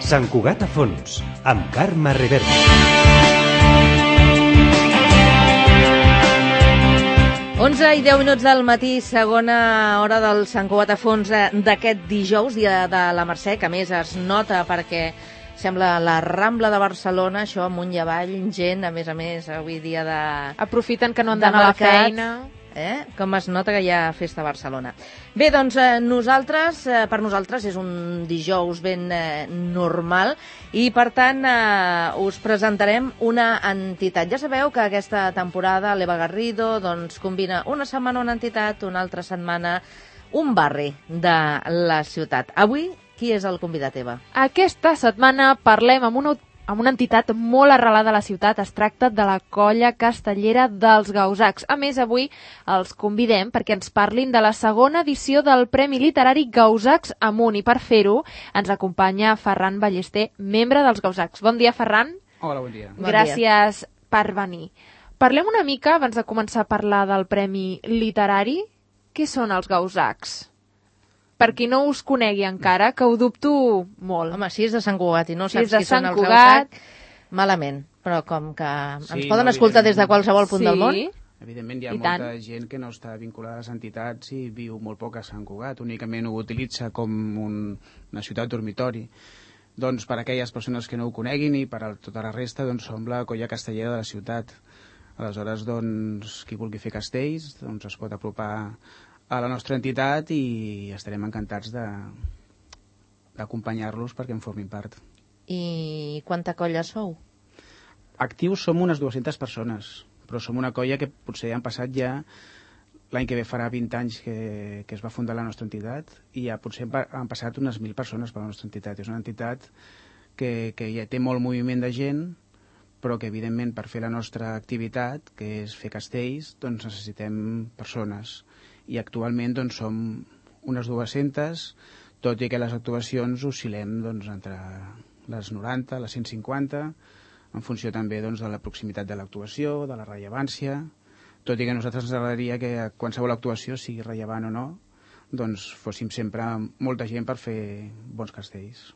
Sant Cugat a fons, amb Carme Rivera. 11:10 del matí, segona hora del Sant Cugat a fons d'aquest dijous, dia de la Mercè, que a més es nota perquè sembla la Rambla de Barcelona, això amunt i avall, gent, a més, avui dia de... Aprofiten que no han d'anar a la feina. Com es nota que hi ha festa a Barcelona. Bé, doncs nosaltres, per nosaltres és un dijous ben normal i per tant us presentarem una entitat. Ja sabeu que aquesta temporada l'Eva Garrido doncs, combina una setmana una entitat, una altra setmana un barri de la ciutat. Avui, qui és el convidat, Eva? Aquesta setmana parlem amb una entitat molt arrelada a la ciutat. Es tracta de la Colla Castellera dels Gausacs. A més, avui els convidem perquè ens parlin de la segona edició del Premi Literari Gausacs Amunt. I per fer-ho ens acompanya Ferran Ballester, membre dels Gausacs. Bon dia, Ferran. Hola, bon dia. Gràcies per venir. Parlem una mica, abans de començar a parlar del Premi Literari, què són els Gausacs? Per qui no us conegui encara, que ho dubto molt. Home, si és de Sant Cugat i no saps qui són els Cugat... Gausac, malament. Però com que ens poden escoltar des de qualsevol punt del món... Evidentment hi ha molta gent que no està vinculada a les entitats i viu molt poc a Sant Cugat, únicament ho utilitza com una ciutat dormitori. Doncs per a aquelles persones que no ho coneguin i per a tota la resta doncs, som la Colla Castellera de la ciutat. Aleshores, doncs, qui vulgui fer castells doncs, es pot apropar a la nostra entitat i estarem encantats d'acompanyar-los perquè en formin part. I quanta colla sou? Actius som unes 200 persones, però som una colla que potser han passat ja, l'any que ve farà 20 anys que es va fundar la nostra entitat i ja potser han passat unes 1.000 persones per la nostra entitat. És una entitat que ja té molt moviment de gent, però que evidentment per fer la nostra activitat, que és fer castells, doncs necessitem persones. I actualment doncs, som unes 200, tot i que les actuacions oscil·lem doncs, entre les 90, les 150, en funció també doncs, de la proximitat de l'actuació, de la rellevància, tot i que a nosaltres ens agradaria que qualsevol actuació, sigui rellevant o no, doncs fóssim sempre molta gent per fer bons castells.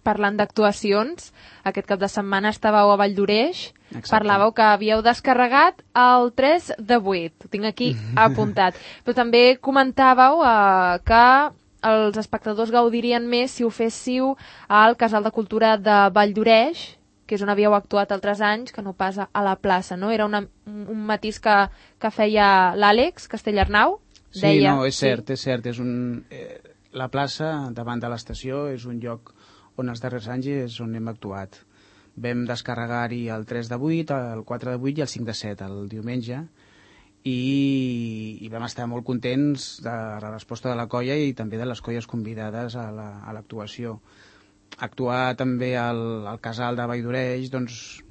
Parlant d'actuacions, aquest cap de setmana estàveu a Valldoreix. Parlàveu que havíeu descarregat el 3 de 8, ho tinc aquí apuntat, però també comentàveu que els espectadors gaudirien més si ho féssiu al Casal de Cultura de Valldoreix, que és on havíeu actuat altres anys, que no pas a la plaça, no? Era un matís que feia l'Àlex Castellarnau. Sí, deia, no, és cert. La plaça, davant de l'estació, és un lloc on els darrers anys és on hem actuat. Vam descarregar-hi el 3 de 8, el 4 de 8 i el 5 de 7, el diumenge, i vam estar molt contents de la resposta de la colla i també de les colles convidades a l'actuació. Actuar també al Casal de Valldoreix doncs,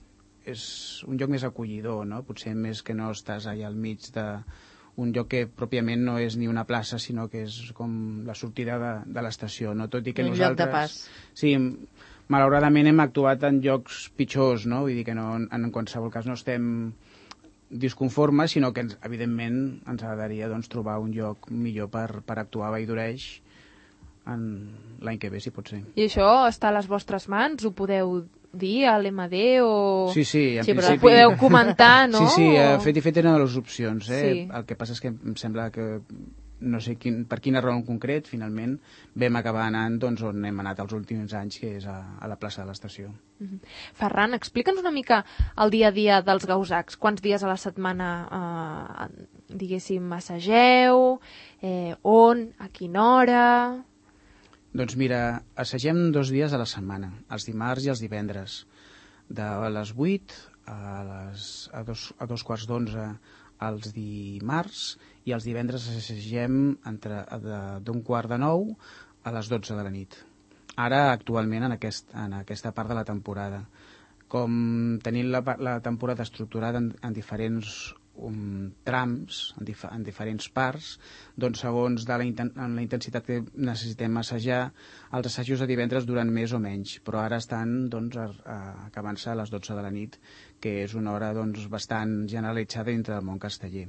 és un lloc més acollidor, no? Potser més que no estàs allà al mig d'un lloc que pròpiament no és ni una plaça, sinó que és com la sortida de l'estació, no? Tot i que un nosaltres... lloc de pas. Sí, malauradament hem actuat en llocs pitjors, no? Vull dir que no, en qualsevol cas no estem disconformes, sinó que evidentment ens agradaria doncs, trobar un lloc millor per actuar a Valldoreix l'any que ve, si pot ser. I això està a les vostres mans? Ho podeu dir a l'MD o... Sí, en principi... Però ho podeu comentar, no? Sí, fet i fet eren les opcions. Sí. El que passa és que em sembla que no sé per quina raó en concret, finalment vam acabar anant doncs, on hem anat els últims anys, que és a la plaça de l'estació. Ferran, explica'ns una mica el dia a dia dels Gausacs. Quants dies a la setmana, diguéssim, assageu? On? A quina hora? Doncs mira, assagem 2 dies a la setmana, els dimarts i els divendres, de les 8 a 2:15 els dimarts i els divendres assagem d'un 8:15 a les 12 de la nit. Ara, actualment, en aquesta part de la temporada. Com tenim la temporada estructurada en diferents trams, en diferents parts, doncs segons la intensitat que necessitem assajar, els assajos de divendres duren més o menys, però ara estan doncs, acabant-se a les 12 de la nit, que és una hora doncs, bastant generalitzada dintre del món casteller.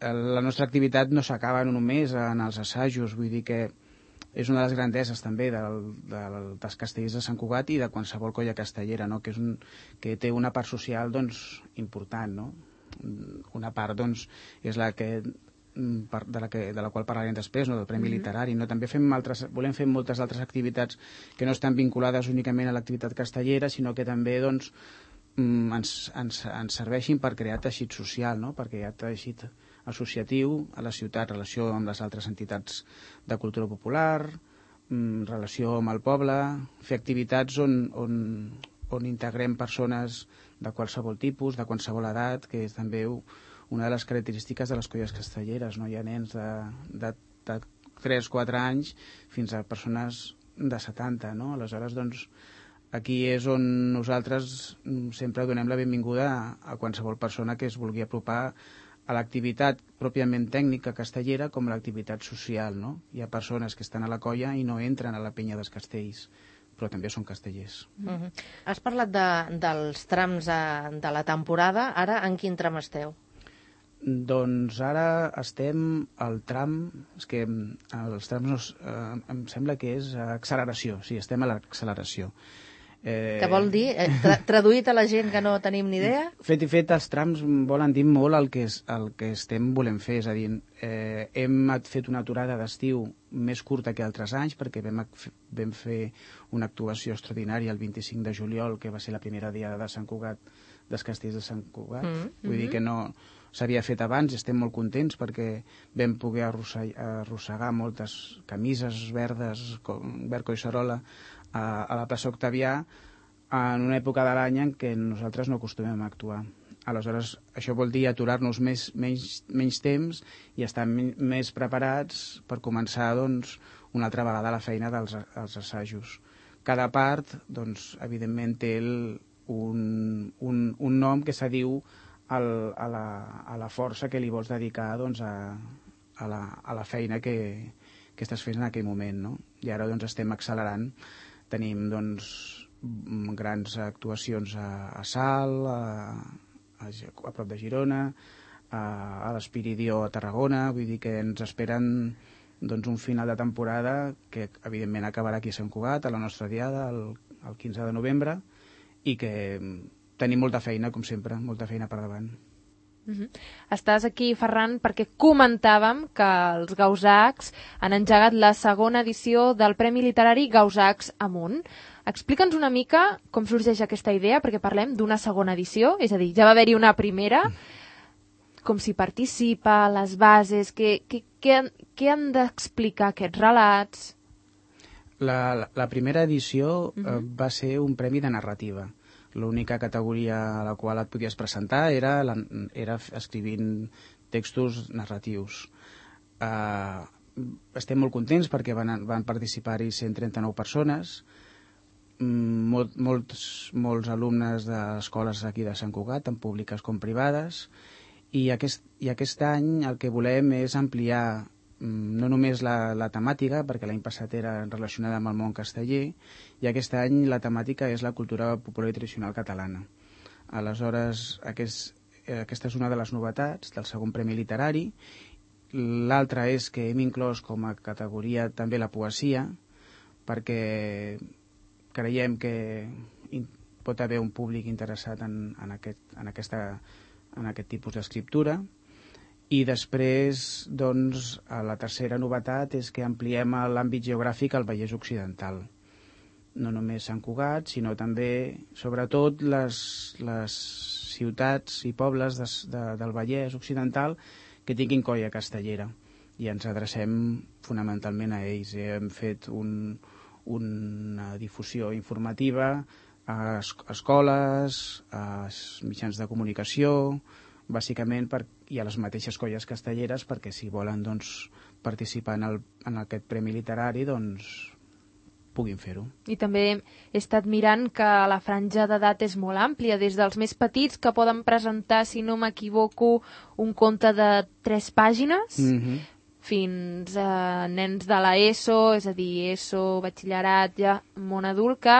La nostra activitat no s'acaba només en els assajos, vull dir que és una de les grandeses també dels castellers de Sant Cugat i de qualsevol colla castellera, no? Que té una part social doncs, important, no? Una part doncs, és la que de la qual parlarem després, no? Del Premi Literari, no? També volem fer moltes altres activitats que no estan vinculades únicament a l'activitat castellera, sinó que també doncs, ens serveixin per crear teixit social, no? Perquè hi ha teixit associatiu a la ciutat, relació amb les altres entitats de cultura popular, relació amb el poble, fer activitats on integrem persones de qualsevol tipus, de qualsevol edat, que és també una de les característiques de les colles castelleres, no? Hi ha nens de 3-4 anys fins a persones de 70, no? Aleshores, doncs, aquí és on nosaltres sempre donem la benvinguda a qualsevol persona que es vulgui apropar a l'activitat pròpiament tècnica castellera com a l'activitat social, no? Hi ha persones que estan a la colla i no entren a la penya dels castells, però també són castellers. Has parlat dels trams de la temporada. Ara, en quin tram esteu? Doncs ara estem al tram... És que els trams em sembla que és acceleració. Sí, estem a l'acceleració. Què vol dir? Traduït a la gent que no tenim ni idea? Fet i fet, els trams volen dir molt el que volem fer. És a dir, hem fet una aturada d'estiu més curta que altres anys perquè vam fer una actuació extraordinària el 25 de juliol, que va ser la primera diada de Sant Cugat, dels castells de Sant Cugat. Vull dir que no s'havia fet abans i estem molt contents perquè vam poder arrossegar moltes camises verdes, verd collserola, a la plaça Octavià en una època de l'any en què nosaltres no acostumem a actuar. Aleshores, això vol dir aturar-nos menys temps i estar més preparats per començar doncs, una altra vegada la feina dels assajos. Cada part, doncs, evidentment, té un nom que s'adiu a la força que li vols dedicar doncs, a la feina que estàs fent en aquell moment, no? I ara doncs, estem accelerant. Tenim doncs, grans actuacions a Salt, a prop de Girona, a l'Espiridió a Tarragona. Vull dir que ens esperen doncs, un final de temporada que evidentment acabarà aquí a Sant Cugat, a la nostra diada, el 15 de novembre, i que tenim molta feina, com sempre, molta feina per davant. Estàs aquí, Ferran, perquè comentàvem que els Gausacs han engegat la segona edició del Premi Literari Gausacs Amunt. Explica'ns una mica com sorgeix aquesta idea, perquè parlem d'una segona edició, és a dir, ja va haver-hi una primera, com s'hi participa, les bases, què han d'explicar aquests relats? La primera edició va ser un premi de narrativa. L'única categoria a la qual et podies presentar era escrivint textos narratius. Estem molt contents perquè van participar-hi 139 persones, molts alumnes d'escoles aquí de Sant Cugat, tant públiques com privades, i aquest any el que volem és ampliar no només la temàtica, perquè l'any passat era relacionada amb el món casteller, i aquest any la temàtica és la cultura popular i tradicional catalana. Aleshores, aquesta és una de les novetats del segon Premi Literari. L'altra és que hem inclòs com a categoria també la poesia, perquè creiem que pot haver un públic interessat en aquest tipus d'escriptura. I després, doncs, la tercera novetat és que ampliem l'àmbit geogràfic al Vallès Occidental. No només Sant Cugat, sinó també, sobretot, les ciutats i pobles del Vallès Occidental que tinguin colla castellera. I ens adrecem fonamentalment a ells. Hem fet una difusió informativa a escoles, a mitjans de comunicació, bàsicament i a les mateixes colles castelleres, perquè si volen doncs, participar en aquest premi literari doncs, puguin fer-ho. I també he estat mirant que la franja d'edat és molt àmplia, des dels més petits que poden presentar, si no m'equivoco, un conte de 3 pàgines, fins a nens de l'ESO, és a dir, ESO, batxillerat, ja món adult, que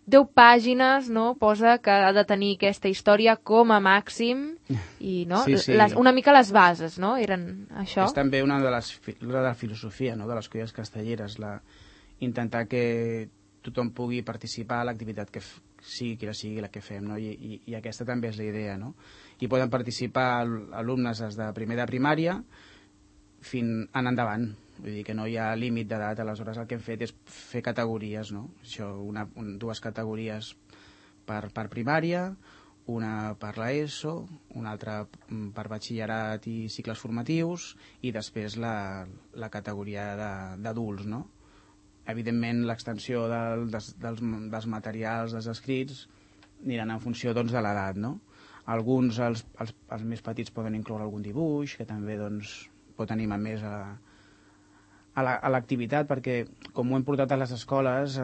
10 pàgines, no? Posa que ha de tenir aquesta història com a màxim i no? Una mica les bases, no? Eren això. És també una de la filosofia, no? De les colles castelleres, intentar que tothom pugui participar a l'activitat que sigui quina sigui la que fem, no? I aquesta també és la idea, no? I poden participar alumnes des de primer de primària fins en endavant. Vull dir que no hi ha límit d'edat. Aleshores el que hem fet és fer categories, no? Això, dues categories per primària, una per l'ESO, una altra per batxillerat i cicles formatius, i després la categoria d'adults, no? Evidentment l'extensió dels materials, dels escrits, aniran en funció doncs, de l'edat, no? Alguns, els més petits, poden incloure algun dibuix, que també doncs, pot animar més a l'activitat, perquè com ho hem portat a les escoles,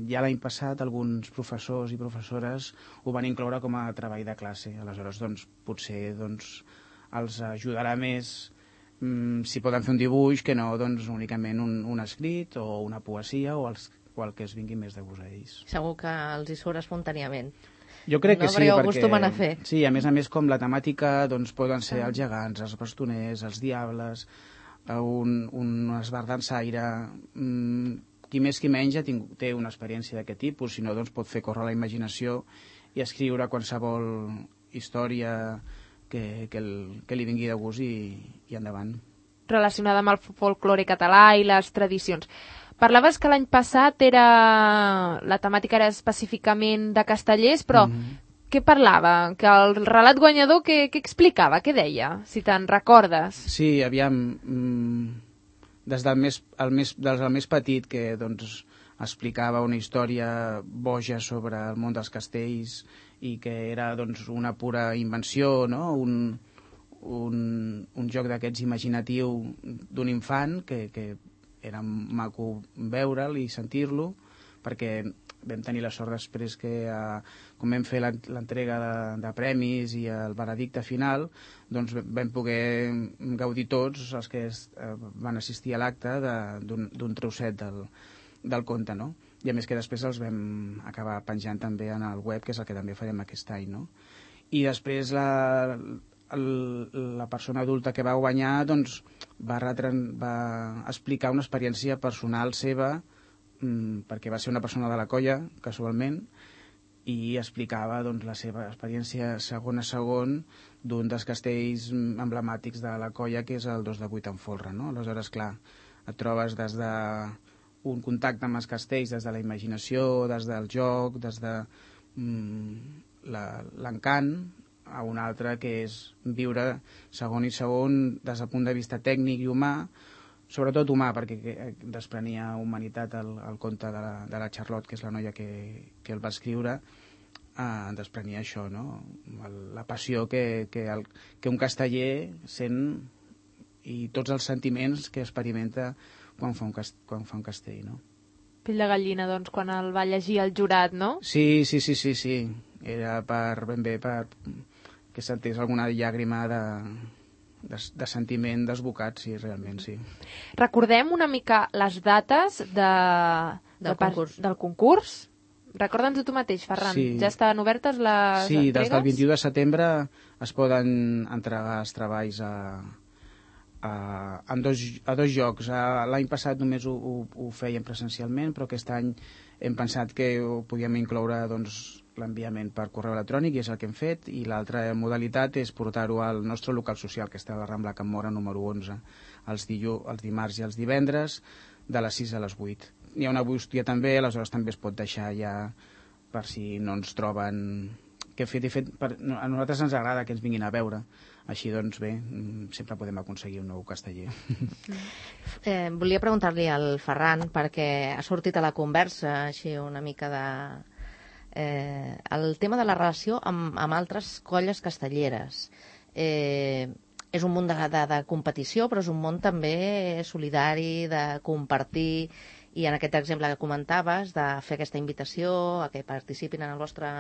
ja l'any passat alguns professors i professores ho van incloure com a treball de classe. Aleshores, doncs, potser els ajudarà més si poden fer un dibuix que no únicament un escrit o una poesia o el que es vingui més de gust a ells. Segur que els hi surt espontàniament. Jo crec que sí, perquè ho acostumen a fer. Sí, a més com la temàtica poden ser els gegants, els bastoners, els diables, un esbardansaire, qui més qui menys té una experiència d'aquest tipus, si no pot fer córrer la imaginació i escriure qualsevol història que li vingui de gust i endavant. Relacionada amb el folklore català i les tradicions. Parlaves que l'any passat la temàtica era específicament de castellers, però què parlava? Que el relat guanyador què explicava? Què deia? Si te'n recordes. Sí, aviam, des del més petit, que explicava una història boja sobre el món dels castells i que era una pura invenció, no? Un joc d'aquests imaginatiu d'un infant que era maco veure'l i sentir-lo, perquè vam tenir la sort després que, com vam fer l'entrega de premis i el veredicte final, doncs vam poder gaudir tots els que van assistir a l'acte d'un trosset del conte, no? I a més que després els vam acabar penjant també en el web, que és el que també farem aquest any, no? I després la persona adulta que va guanyar va explicar una experiència personal seva, perquè va ser una persona de la colla, casualment, i explicava la seva experiència segon a segon d'un dels castells emblemàtics de la colla, que és el 2 de 8 en folre, no? Aleshores, clar, et trobes des d'un contacte amb els castells, des de la imaginació, des del joc, des de l'encant, a un altre que és viure segon i segon des del punt de vista tècnic i humà, sobretot humà, perquè desprenia humanitat el conte de la Charlotte, que és la noia que el va escriure, desprenia això, no? La passió que un casteller sent i tots els sentiments que experimenta quan fa un castell, no? Pell de gallina, doncs, quan el va llegir el jurat, no? Sí. Era ben bé per que sentés alguna llàgrima de sentiment desbocat, sí, realment, sí. Recordem una mica les dates del concurs. Recorda'ns-ho tu mateix, Ferran. Sí. Ja estan obertes les entregues? Sí, des del 21 de setembre es poden entregar els treballs a dos llocs. L'any passat només ho fèiem presencialment, però aquest any hem pensat que ho podíem incloure l'enviament per correu electrònic, i és el que hem fet, i l'altra modalitat és portar-ho al nostre local social, que està a la Rambla Can Móra número 11, els dimarts i els divendres, de les 6 a les 8. Hi ha una bústia també, aleshores també es pot deixar ja per si no ens troben què hem fet. A nosaltres ens agrada que ens vinguin a veure, així doncs bé, sempre podem aconseguir un nou casteller. Volia preguntar-li al Ferran, perquè ha sortit a la conversa així una mica el tema de la relació amb altres colles castelleres. És un món de competició, però és un món també solidari, de compartir, i en aquest exemple que comentaves, de fer aquesta invitació a que participin en el vostre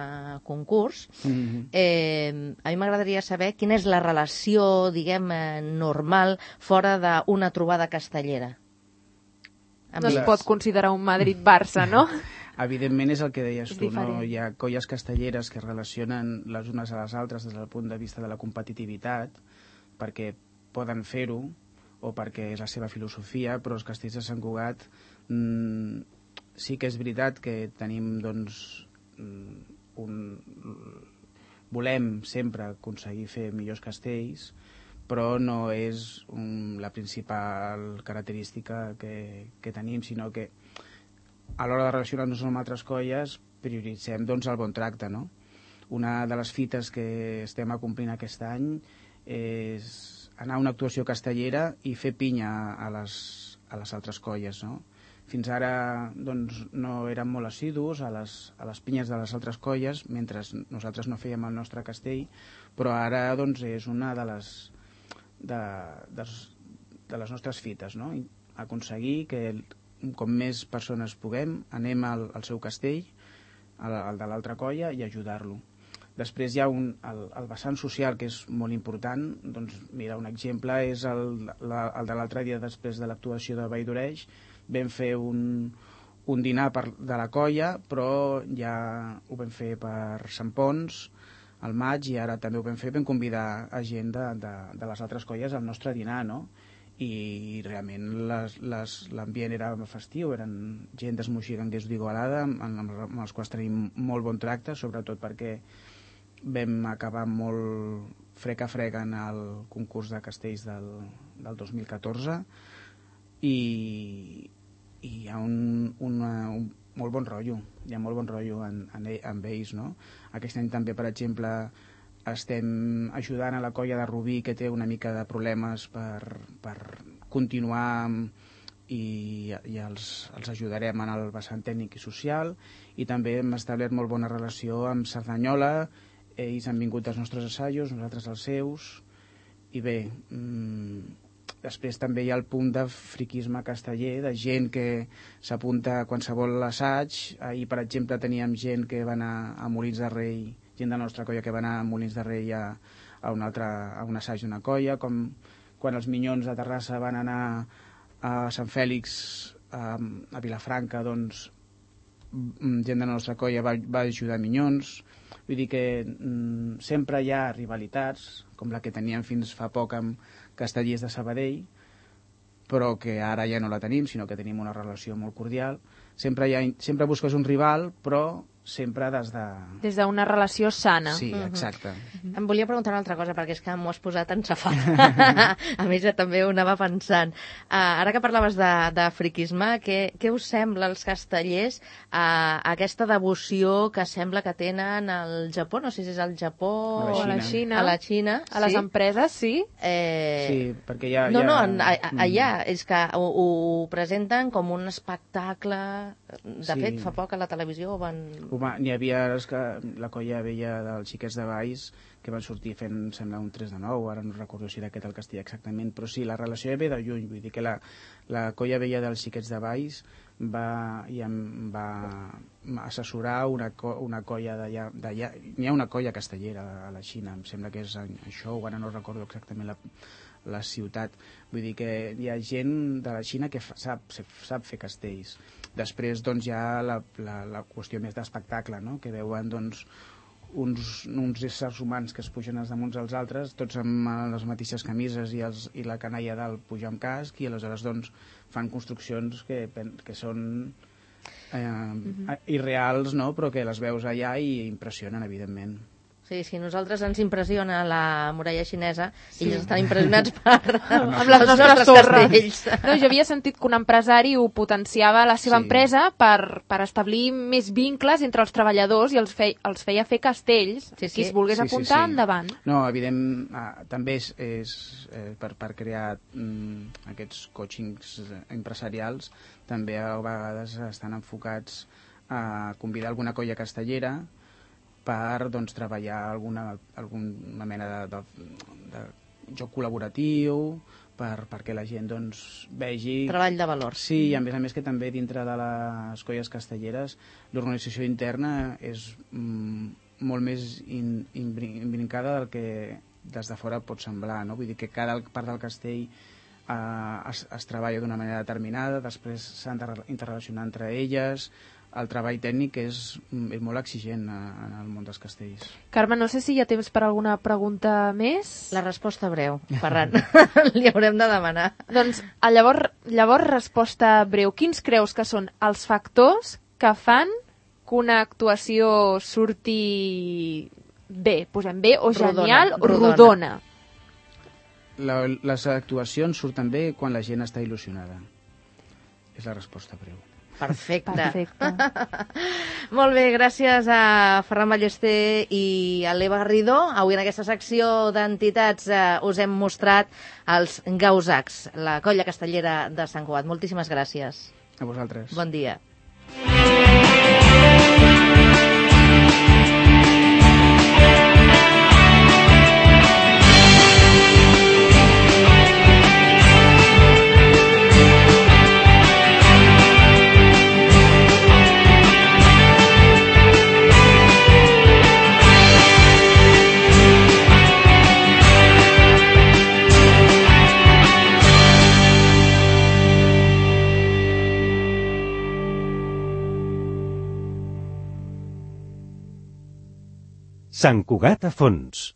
concurs. A mi m'agradaria saber quina és la relació, diguem, normal fora d'una trobada castellera. No es pot considerar un Madrid-Barça, no? Evidentment és el que deies tu, no? diferent. Hi ha colles castelleres que es relacionen les unes a les altres des del punt de vista de la competitivitat, perquè poden fer-ho o perquè és la seva filosofia, però els castells de Sant Cugat sí que és veritat que tenim, doncs, volem sempre aconseguir fer millors castells, però no és la principal característica que tenim, sinó que a l'hora de relacionar-nos amb altres colles prioritzem, doncs, el bon tracte, no? Una de les fites que estem acomplint aquest any és anar a una actuació castellera i fer pinya a les altres colles, no? Fins ara, doncs, no érem molt assidus a les pinyes de les altres colles, mentre nosaltres no fèiem el nostre castell, però ara, doncs, és una de les nostres fites, no? Aconseguir que com més persones puguem, anem al seu castell, al de l'altra colla, i ajudar-lo. Després hi ha el vessant social, que és molt important. Doncs, mira, un exemple és el de l'altre dia, després de l'actuació de Vall d'Oreix. Vam fer un dinar de la colla, però ja ho vam fer per Sant Pons, al maig, i ara també ho vam fer, vam convidar a gent de les altres colles al nostre dinar, no? I realment l'ambient era festiu, eren gent d'Esmoixí-Gangués d'Igualada, amb els quals tenim molt bon tracte, sobretot perquè vam acabar molt frec a frec en el concurs de castells del 2014 i hi ha un molt bon rotllo, hi ha molt bon rotllo amb ells, no? Aquest any també, per exemple, estem ajudant a la colla de Rubí, que té una mica de problemes per continuar, i els ajudarem en el vessant tècnic i social, i també hem establert molt bona relació amb Cerdanyola. Ells han vingut als nostres assajos, nosaltres als seus, i bé, després també hi ha el punt de friquisme casteller, de gent que s'apunta a qualsevol assaig. Ahir, per exemple, teníem gent que va anar a Molins de Rei, gent de la nostra colla que va anar a Molins de Rei a un assaig d'una colla, com quan els Minyons de Terrassa van anar a Sant Fèlix, a Vilafranca, doncs gent de la nostra colla va ajudar Minyons. Vull dir que sempre hi ha rivalitats, com la que teníem fins fa poc amb Castellers de Sabadell, però que ara ja no la tenim, sinó que tenim una relació molt cordial. Sempre busques un rival, però sempre des d'una relació sana. Sí, exacte. Em volia preguntar una altra cosa, perquè és que m'ho has posat en safat. A més, també ho anava pensant. Ara que parlaves de friquisme, què us sembla als castellers aquesta devoció que sembla que tenen al Japó? No sé si és al Japó o a la Xina. A la Xina, a les empreses, sí? Sí, perquè ja... No, allà és que ho presenten com un espectacle. De fet, fa poc a la televisió van... N'hi havia la colla vella dels Xiquets de Valls, que van sortir fent, sembla, un 3 de 9, ara no recordo si era aquest el castell exactament, però sí, la relació ve de lluny, vull dir que la colla vella dels Xiquets de Valls va assessorar una colla d'allà. N'hi ha una colla castellera a la Xina, em sembla que és això, ara no recordo exactament la ciutat. Vull dir que hi ha gent de la Xina que sap fer castells. Després, doncs, hi ha la qüestió més d'espectacle, no? Que veuen, doncs, uns éssers humans que es pugen els damunt als altres, tots amb les mateixes camises i la canalla dalt puja amb casc, i aleshores, doncs, fan construccions que són irreals, no? Però que les veus allà i impressionen, evidentment. Sí, sí, nosaltres ens impressiona la muralla xinesa, sí. Ells estan impressionats amb les nostres castells. No, jo havia sentit que un empresari ho potenciava la seva empresa per establir més vincles entre els treballadors i els feia fer castells. Sí, sí. Qui es volgués apuntar, endavant. No, evident, també és per crear aquests coachings empresarials, també a vegades estan enfocats a convidar alguna colla castellera per, doncs, treballar alguna mena de joc col·laboratiu, perquè la gent, doncs, vegi... Treball de valor. Sí, i a més que també dintre de les colles castelleres l'organització interna és molt més imbrincada del que des de fora pot semblar, no? Vull dir que cada part del castell es treballa d'una manera determinada, després s'han d'interrelacionar entre elles, el treball tècnic és molt exigent en el món dels castells. Carme, no sé si hi ha temps per alguna pregunta més. La resposta breu, Ferran. Li haurem de demanar. Doncs, llavors, resposta breu. Quins creus que són els factors que fan que una actuació surti bé, posem bé, o genial, o rodona? Les actuacions surten bé quan la gent està il·lusionada. És la resposta breu. Perfecte. Molt bé, gràcies a Ferran Ballester i a l'Eva Garrido. Avui en aquesta secció d'entitats us hem mostrat els Gausacs, la colla castellera de Sant Cugat. Moltíssimes gràcies. A vosaltres. Bon dia. Sant Cugat a fons.